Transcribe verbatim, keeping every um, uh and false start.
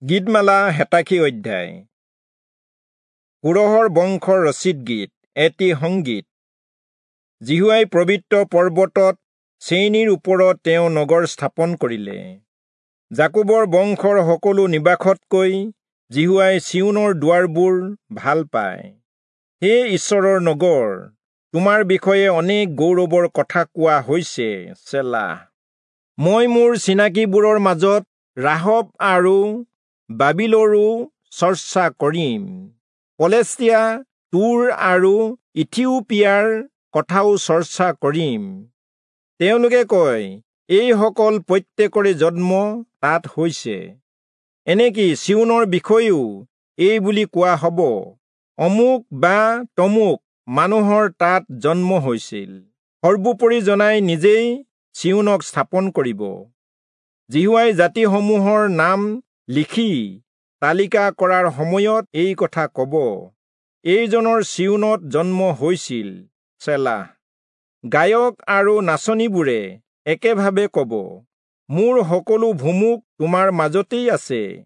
গীতমালা হেতাশী অধ্যায়। কোৰহৰ বংশৰ ৰচিত গীত, এটি সংগীত। যিহোৱাই পবিত্ৰ পৰ্বতত চেইনীৰ ওপৰত তেওঁ নগৰ স্থাপন কৰিলে। যাকোবৰ বংশৰ সকলো নিবাসতকৈ যিহোৱাই চিয়োনৰ দুৱাৰবোৰ ভাল পায়। হে ঈশ্বৰৰ নগৰ, তোমাৰ বিষয়ে অনেক গৌৰৱৰ কথা কোৱা হৈছে। চেলা। মই মোৰ চিনাকিবোৰৰ মাজত ৰাহব আৰু বাবিলৰো চৰ্চা কৰিম। পলেষ্টিয়া, তুৰ আৰু ইথিওপিয়াৰ কথাও চৰ্চা কৰিম। তেওঁলোকে কয়, এইসকল প্ৰত্যেকৰে জন্ম তাত হৈছে। এনেকি চিয়োনৰ বিষয়েও এই বুলি কোৱা হ'ব, অমুক বা তমুক মানুহৰ তাত জন্ম হৈছিল। সৰ্বোপৰি জনাই নিজেই চিয়োনক স্থাপন কৰিব। যিহোৱাই জাতিসমূহৰ নাম লিখি তালিকা কৰাৰ সময়ত এই কথা ক'ব, এইজনৰ চিয়োনত জন্ম হৈছিল। চেলা। গায়ক আৰু নাচনীবোৰে একেভাৱে ক'ব, মোৰ সকলো ভুমুক তোমাৰ মাজতেই আছে।